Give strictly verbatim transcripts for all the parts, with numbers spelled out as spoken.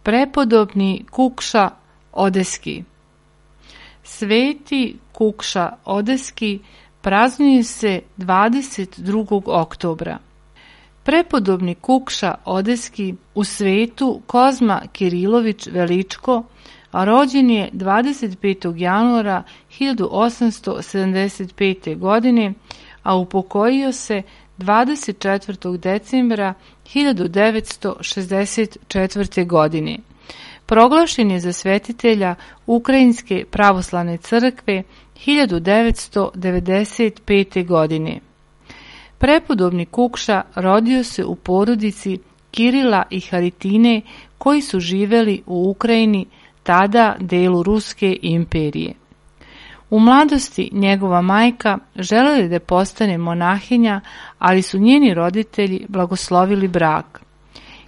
Prepodobni Kukša Odeski. Sveti Kukša Odeski praznuje se dvadeset drugog oktobra. Prepodobni Kukša Odeski u svetu Kozma Kirilović Veličko rođen je dvadeset petog januara hiljadu osamsto sedamdeset pete. godine, a upokojio se dvadeset četvrtog decembra hiljadu devetsto šezdeset četvrte. godine. Proglašen je za svetitelja Ukrajinske pravoslavne crkve hiljadu devetsto devedeset pete. godine. Prepodobni Kukša rodio se u porodici Kirila i Haritine koji su živeli u Ukrajini, tada delu Ruske imperije. U mladosti njegova majka želela je da postane monahinja, ali su njeni roditelji blagoslovili brak.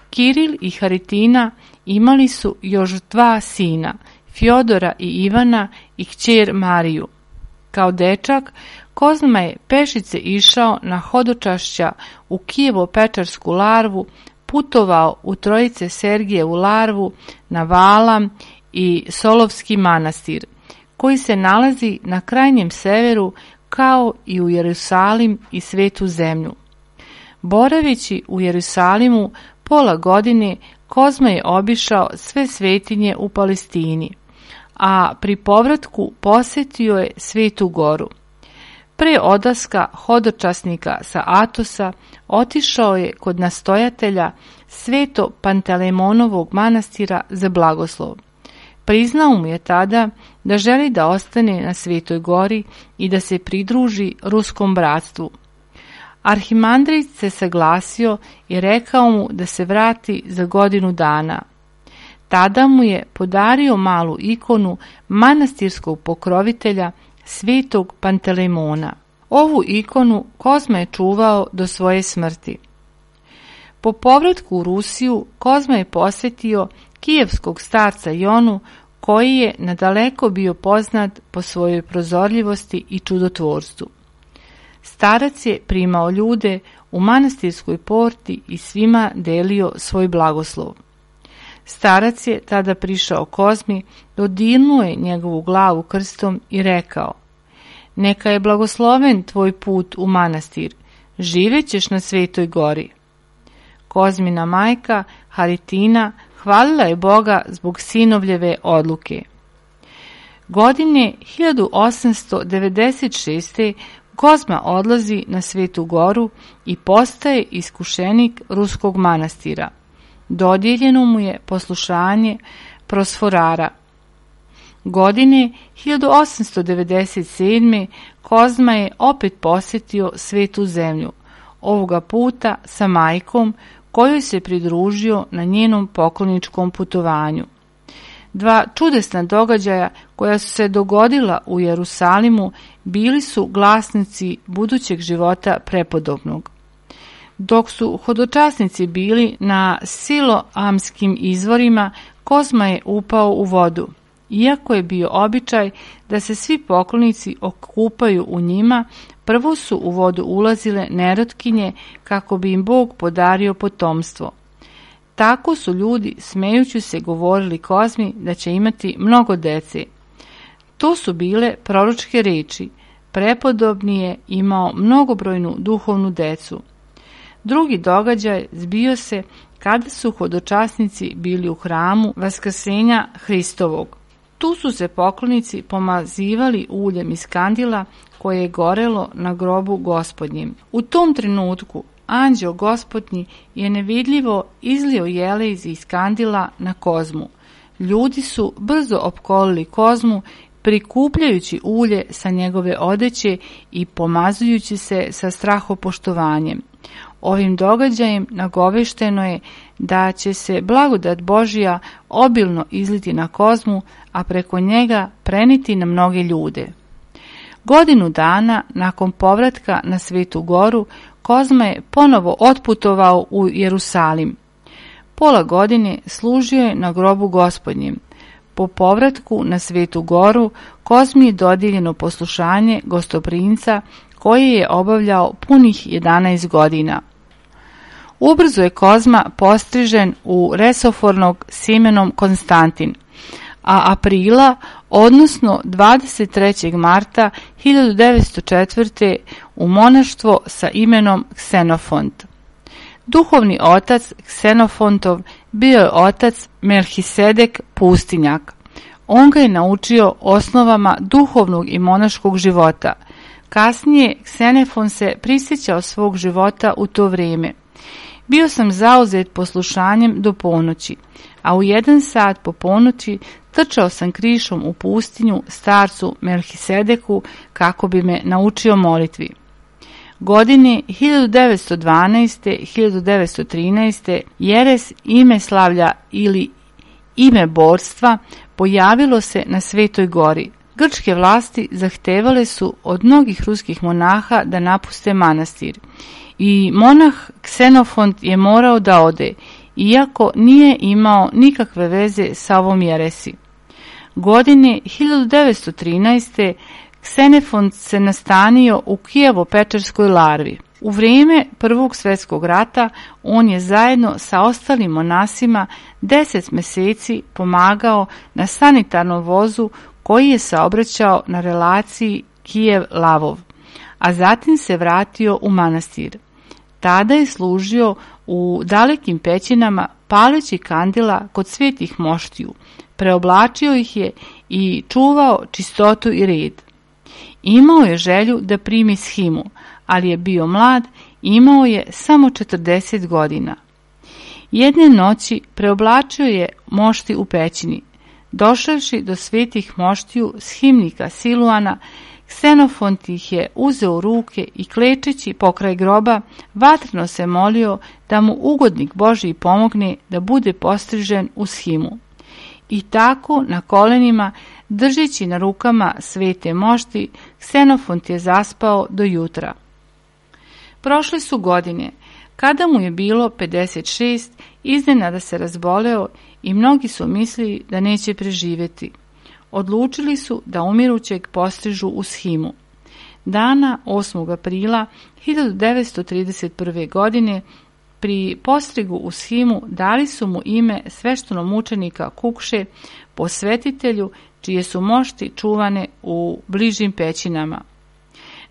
Kiril i Haritina imali su još dva sina, Fjodora i Ivana i kćer Mariju. Kao dečak, Kozma je pešice išao na hodočašća u Kijevo-Pečarsku larvu, putovao u Trojice Sergijevu larvu, na Valam i Solovski manastir, koji se nalazi na krajnjem severu, kao i u Jerusalim i Svetu zemlju. Boraveći u Jerusalimu pola godine, Kozma je obišao sve svetinje u Palestini, a pri povratku posetio je Svetu goru. Pre odlaska hodočasnika sa Atosa otišao je kod nastojatelja Sveto Pantelemonovog manastira za blagoslov. Priznao mu je tada da želi da ostane na Svetoj gori i da se pridruži ruskom bratstvu. Arhimandrit se saglasio i rekao mu da se vrati za godinu dana. Tada mu je podario malu ikonu manastirskog pokrovitelja Svetog Pantelemona. Ovu ikonu Kozma je čuvao do svoje smrti. Po povratku u Rusiju Kozma je posjetio kijevskog starca Jonu, koji je nadaleko bio poznat po svojoj prozorljivosti i čudotvorstvu. Starac je primao ljude u manastirskoj porti i svima delio svoj blagoslov. Starac je tada prišao Kozmi, dodirnuo je njegovu glavu krstom i rekao: "Neka je blagosloven tvoj put u manastir, živećeš na Svetoj gori." Kozmina majka Haritina hvalila je Boga zbog sinovljeve odluke. Godine hiljadu osamsto devedeset šeste. Kozma odlazi na Svetu goru i postaje iskušenik ruskog manastira. Dodijeljeno mu je poslušanje prosforara. Godine hiljadu osamsto devedeset sedme. Kozma je opet posjetio Svetu zemlju, ovoga puta sa majkom, kojoj se pridružio na njenom pokloničkom putovanju. Dva čudesna događaja koja su se dogodila u Jerusalimu bili su glasnici budućeg života prepodobnog. Dok su hodočasnici bili na siloamskim izvorima, Kozma je upao u vodu. Iako je bio običaj da se svi poklonici okupaju u njima, prvo su u vodu ulazile nerotkinje kako bi im Bog podario potomstvo. Tako su ljudi, smejući se, govorili Kozmi da će imati mnogo dece. To su bile proročke reči. Prepodobni je imao mnogobrojnu duhovnu decu. Drugi događaj zbio se kada su hodočasnici bili u hramu Vaskrsenja Hristovog. Tu su se poklonici pomazivali uljem iz kandila koje je gorelo na grobu Gospodnjem. U tom trenutku anđeo Gospodnji je nevidljivo izlio jelez iz kandila na Kozmu. Ljudi su brzo opkolili Kozmu, prikupljajući ulje sa njegove odeće i pomazujući se sa strahopoštovanjem. Ovim događajem nagovešteno je da će se blagodat Božja obilno izliti na Kozmu, a preko njega preniti na mnoge ljude. Godinu dana nakon povratka na Svetu goru, Kozma je ponovo otputovao u Jerusalim. Pola godine služio je na grobu Gospodnjem. Po povratku na Svetu goru, Kozmi je dodijeljeno poslušanje gostoprinca koje je obavljao punih jedanaest godina. Ubrzo je Kozma postrižen u resofornog s imenom Konstantin, a aprila, odnosno dvadeset trećeg marta hiljadu devetsto četvrte. u monaštvo sa imenom Ksenofont. Duhovni otac Ksenofontov bio je otac Melhisedek pustinjak. On ga je naučio osnovama duhovnog i monaškog života. Kasnije Ksenofon se prisjećao svog života u to vrijeme. Bio sam zauzet poslušanjem do ponoći, a u jedan sat po ponoći trčao sam krišom u pustinju starcu Melhisedeku kako bi me naučio molitvi. Godine hiljadu devetsto dvanaeste. do hiljadu devetsto trinaeste. jeres ime slavlja ili ime borstva pojavilo se na Svetoj gori. Grčke vlasti zahtevale su od mnogih ruskih monaha da napuste manastir i monah Ksenofont je morao da ode, iako nije imao nikakve veze sa ovom jeresi. Godine hiljadu devetsto trinaeste. Ksenofont se nastanio u Kijevo-Pečerskoj larvi. U vrijeme Prvog svjetskog rata on je zajedno sa ostalim monasima deset mjeseci pomagao na sanitarnom vozu koji je saobraćao na relaciji Kijev-Lavov, a zatim se vratio u manastir. Tada je služio u dalekim pećinama paleći kandila kod svetih moštiju, preoblačio ih je i čuvao čistotu i red. Imao je želju da primi shimu, ali je bio mlad, imao je samo četrdeset godina. Jedne noći preoblačio je mošti u pećini. Došavši do svetih moštiju shimnika Siluana, Ksenofont ih je uzeo u ruke i klečeći pokraj groba, vatreno se molio da mu ugodnik Božji pomogne da bude postrižen u shimu. I tako na kolenima, držeći na rukama svete mošti, Ksenofont je zaspao do jutra. Prošle su godine. Kada mu je bilo pedeset šest, iznenada se razboleo i mnogi su mislili da neće preživjeti. Odlučili su da umirućeg postrižu u shimu. Dana osmog aprila hiljadu devetsto trideset prve. godine pri postrigu u shimu dali su mu ime sveštenomučenika Kukše, posvetitelju čije su mošti čuvane u bližim pećinama.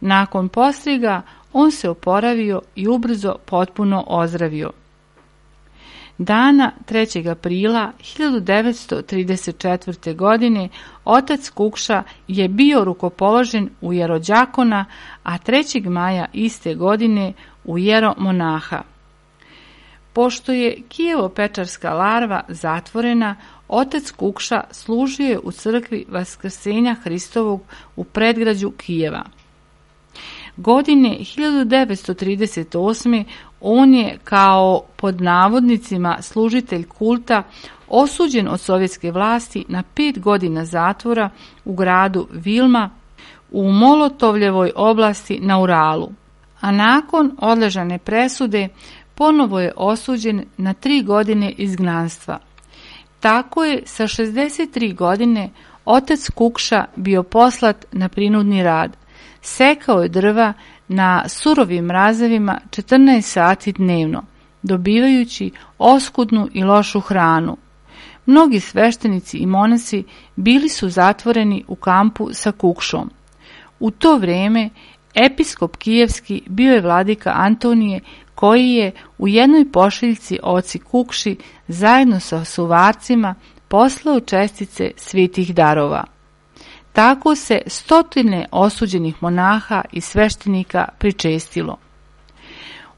Nakon postriga on se oporavio i ubrzo potpuno ozdravio. Dana trećeg aprila hiljadu devetsto trideset četvrte. godine otac Kukša je bio rukopoložen u jerođakona, a trećeg maja iste godine u jeromonaha. Pošto je Kijevo-Pečarska larva zatvorena, otac Kukša služio je u crkvi Vaskrsenja Hristovog u predgrađu Kijeva. Godine hiljadu devetsto trideset osme. on je kao pod navodnicima služitelj kulta osuđen od sovjetske vlasti na pet godina zatvora u gradu Vilma u Molotovljevoj oblasti na Uralu, a nakon odležane presude ponovo je osuđen na tri godine izgnanstva. Tako je sa šezdeset tri godine otac Kukša bio poslat na prinudni rad. Sekao je drva na surovim mrazevima četrnaest sati dnevno, dobivajući oskudnu i lošu hranu. Mnogi sveštenici i monasi bili su zatvoreni u kampu sa Kukšom. U to vrijeme episkop kijevski bio je vladika Antonije, koji je u jednoj pošiljci oci Kukši zajedno sa suvarcima poslao čestice svetih darova. Tako se stotine osuđenih monaha i sveštenika pričestilo.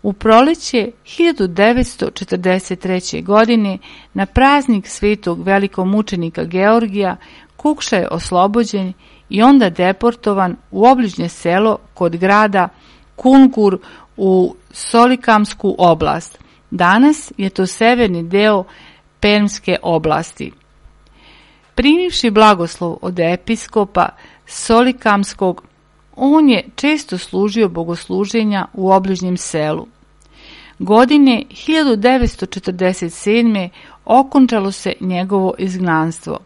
U proleće hiljadu devetsto četrdeset treće. godine na praznik svetog velikomučenika Georgija Kukša je oslobođen i onda deportovan u obližnje selo kod grada Kungur u Solikamsku oblast. Danas je to severni deo Permske oblasti. Primivši blagoslov od episkopa Solikamskog, on je često služio bogosluženja u obližnjem selu. Godine hiljadu devetsto četrdeset sedme. okončalo se njegovo izgnanstvo.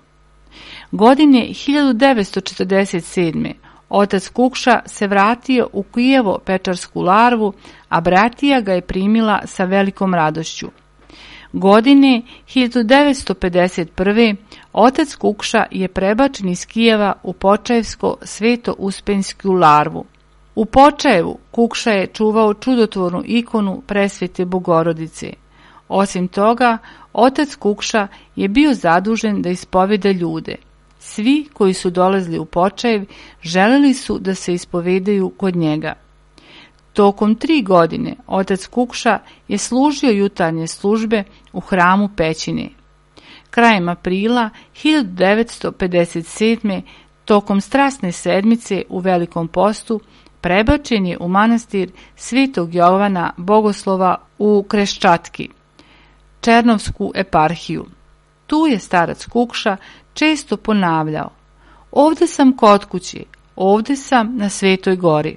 Godine hiljadu devetsto četrdeset sedme. Otac Kukša se vratio u Kijevo-Pečarsku larvu, a bratija ga je primila sa velikom radošću. Godine hiljadu devetsto pedeset prve. otac Kukša je prebačen iz Kijeva u Počajevsko-Sveto-Uspensku larvu. U Počajevu Kukša je čuvao čudotvornu ikonu Presvete Bogorodice. Osim toga, otac Kukša je bio zadužen da ispoveda ljude. Svi koji su dolazili u Počajev želeli su da se ispovedaju kod njega. Tokom tri godine otac Kukša je služio jutarnje službe u hramu Pećine. Krajem aprila hiljadu devetsto pedeset sedme. tokom strasne sedmice u Velikom postu prebačen je u manastir Svetog Jovana Bogoslova u Kreščatki, Černovsku eparhiju. Tu je starac Kukša često ponavljao: ovde sam kod kuće, ovde sam na Svetoj gori.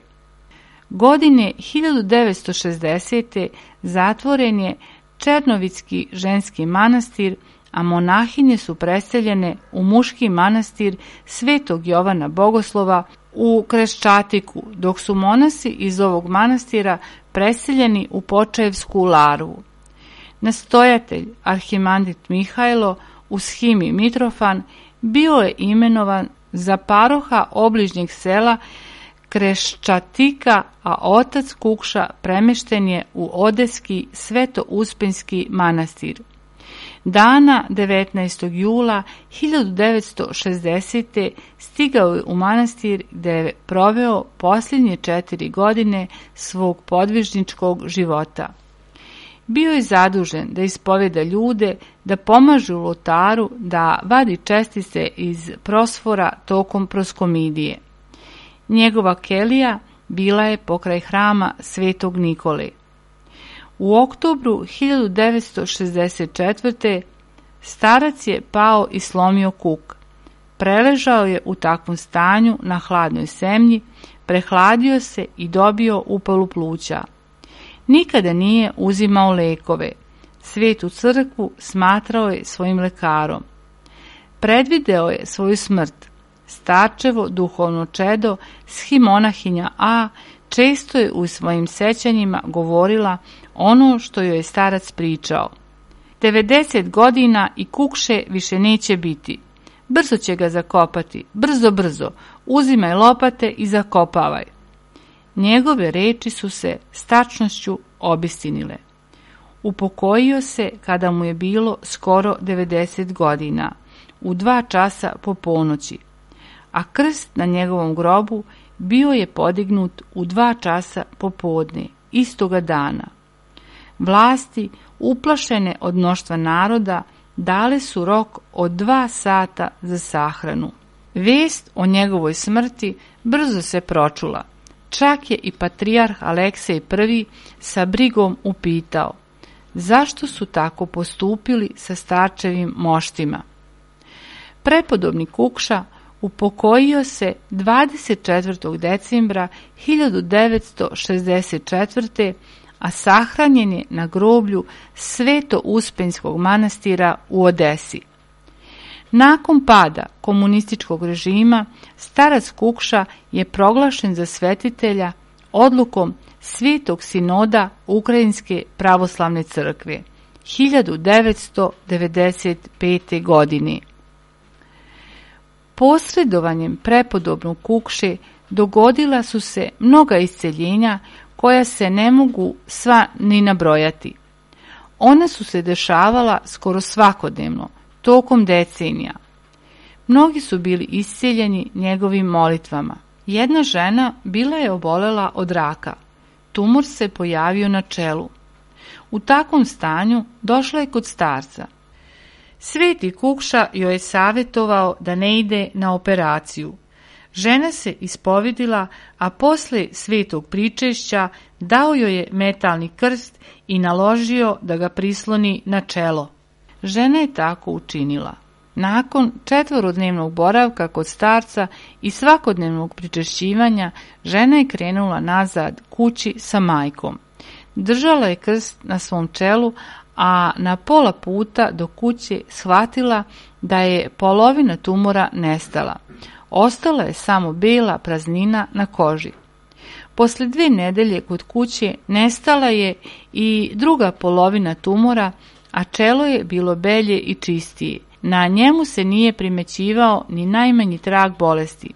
Godine hiljadu devetsto šezdesete. zatvoren je Černovicki ženski manastir, a monahinje su preseljene u muški manastir Svetog Jovana Bogoslova u Kreščatiku, dok su monasi iz ovog manastira preseljeni u Počajevsku larvu. Nastojatelj, arhimandrit Mihajlo uz Himi Mitrofan, bio je imenovan za paroha obližnjeg sela Kreščatika, a otac Kukša premešten je u Odeski Sveto-Uspenski manastir. Dana devetnaestog jula hiljadu devetsto šezdesete. stigao je u manastir gde je proveo posljednje četiri godine svog podvižničkog života. Bio je zadužen da ispoveda ljude, da pomaže u oltaru, da vadi čestice iz prosfora tokom proskomidije. Njegova kelija bila je pokraj hrama Svetog Nikole. U oktobru hiljadu devetsto šezdeset četvrte. starac je pao i slomio kuk. Preležao je u takvom stanju na hladnoj zemlji, prehladio se i dobio upalu pluća. Nikada nije uzimao lekove. Svetu crkvu smatrao je svojim lekarom. Predvideo je svoju smrt. Starčevo duhovno čedo, shimonahinja A, često je u svojim sećanjima govorila ono što joj je starac pričao. devedeset godina i Kukše više neće biti. Brzo će ga zakopati, brzo, brzo, uzimaj lopate i zakopavaj. Njegove reči su se s tačnošću obistinile. Upokojio se kada mu je bilo skoro devedeset godina, u dva časa po ponoći, a krst na njegovom grobu bio je podignut u dva časa popodne, istoga dana. Vlasti, uplašene od mnoštva naroda, dale su rok od dva sata za sahranu. Vest o njegovoj smrti brzo se pročula. Čak je i patrijarh Aleksej prvi sa brigom upitao: zašto su tako postupili sa starčevim moštima? Prepodobni Kukša upokojio se dvadeset četvrtog decembra hiljadu devetsto šezdeset četvrte. a sahranjen je na groblju Sveto-Uspenskog manastira u Odesi. Nakon pada komunističkog režima, starac Kukša je proglašen za svetitelja odlukom Svetog sinoda Ukrajinske pravoslavne crkve hiljadu devetsto devedeset pete. godine. Posredovanjem prepodobnog Kukše dogodila su se mnoga isceljenja koja se ne mogu sva ni nabrojati. Ona su se dešavala skoro svakodnevno, tokom decenija. Mnogi su bili isceljeni njegovim molitvama. Jedna žena bila je obolela od raka. Tumor se pojavio na čelu. U takvom stanju došla je kod starca. Sveti Kukša joj je savjetovao da ne ide na operaciju. Žena se ispovedila, a posle svetog pričešća dao joj je metalni krst i naložio da ga prisloni na čelo. Žena je tako učinila. Nakon četvorodnevnog boravka kod starca i svakodnevnog pričešćivanja, žena je krenula nazad kući sa majkom. Držala je krst na svom čelu, a na pola puta do kuće shvatila da je polovina tumora nestala. Ostala je samo bela praznina na koži. Posle dve nedelje kod kuće nestala je i druga polovina tumora, a čelo je bilo belje i čistije. Na njemu se nije primećivao ni najmanji trag bolesti.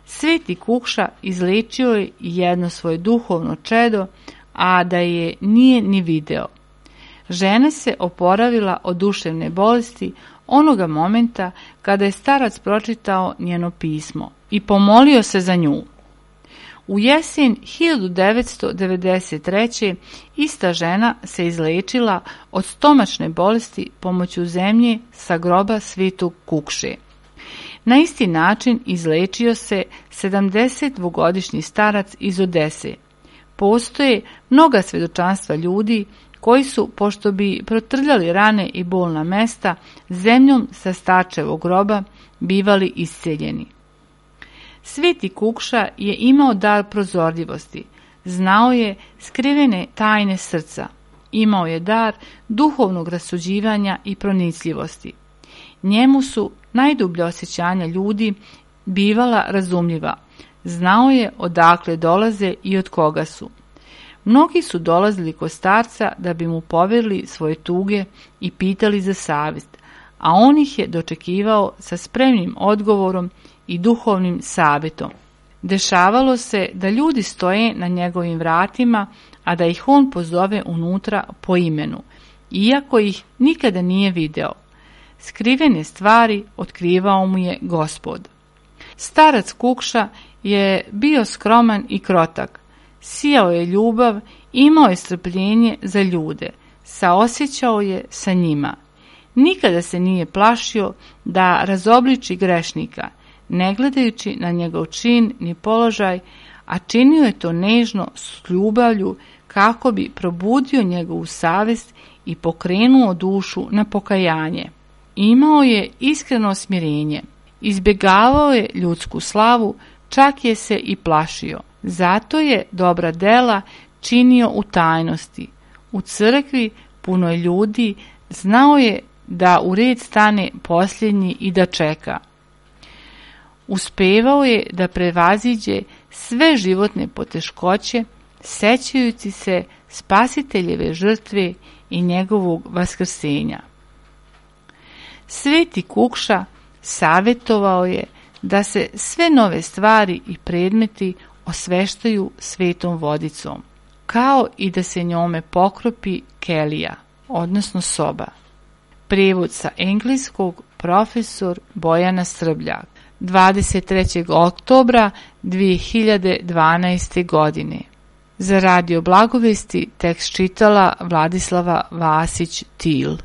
Sveti Kukša izlečio je jedno svoje duhovno čedo, a da je nije ni video. Žena se oporavila od duševne bolesti onoga momenta kada je starac pročitao njeno pismo i pomolio se za nju. U jesen hiljadu devetsto devedeset treće. ista žena se izlečila od stomačne bolesti pomoću zemlje sa groba Svetog Kukše. Na isti način izlečio se sedamdesetdvogodišnji starac iz Odese. Postoje mnoga svedočanstva ljudi koji su, pošto bi protrljali rane i bolna mesta, zemljom sa starčevog groba bivali isceljeni. Sveti Kukša je imao dar prozorljivosti, znao je skrivene tajne srca, imao je dar duhovnog rasuđivanja i pronicljivosti. Njemu su najdublja osjećanja ljudi bivala razumljiva, znao je odakle dolaze i od koga su. Mnogi su dolazili kod starca da bi mu poverili svoje tuge i pitali za savjet, a on ih je dočekivao sa spremnim odgovorom i duhovnim savjetom. Dešavalo se da ljudi stoje na njegovim vratima, a da ih on pozove unutra po imenu, iako ih nikada nije video. Skrivene stvari otkrivao mu je Gospod. Starac Kukša je bio skroman i krotak, sijao je ljubav, imao je strpljenje za ljude, saosjećao je sa njima. Nikada se nije plašio da razobliči grešnika, ne gledajući na njegov čin ni položaj, a činio je to nežno s ljubavlju kako bi probudio njegovu savjest i pokrenuo dušu na pokajanje. Imao je iskreno smirenje, izbjegavao je ljudsku slavu, čak je se i plašio. Zato je dobra dela činio u tajnosti. U crkvi puno je ljudi, znao je da u red stane posljednji i da čeka. Uspevao je da prevaziđe sve životne poteškoće, sećajući se Spasiteljeve žrtve i njegovog vaskrsenja. Sveti Kukša savjetovao je da se sve nove stvari i predmeti osveštaju svetom vodicom, kao i da se njome pokropi kelija, odnosno soba. Prijevod sa engleskog profesor Bojana Srbljak, dvadeset trećeg oktobra dve hiljade dvanaeste. godine. Za Radio Blagovesti tekst čitala Vladislava Vasić-Til.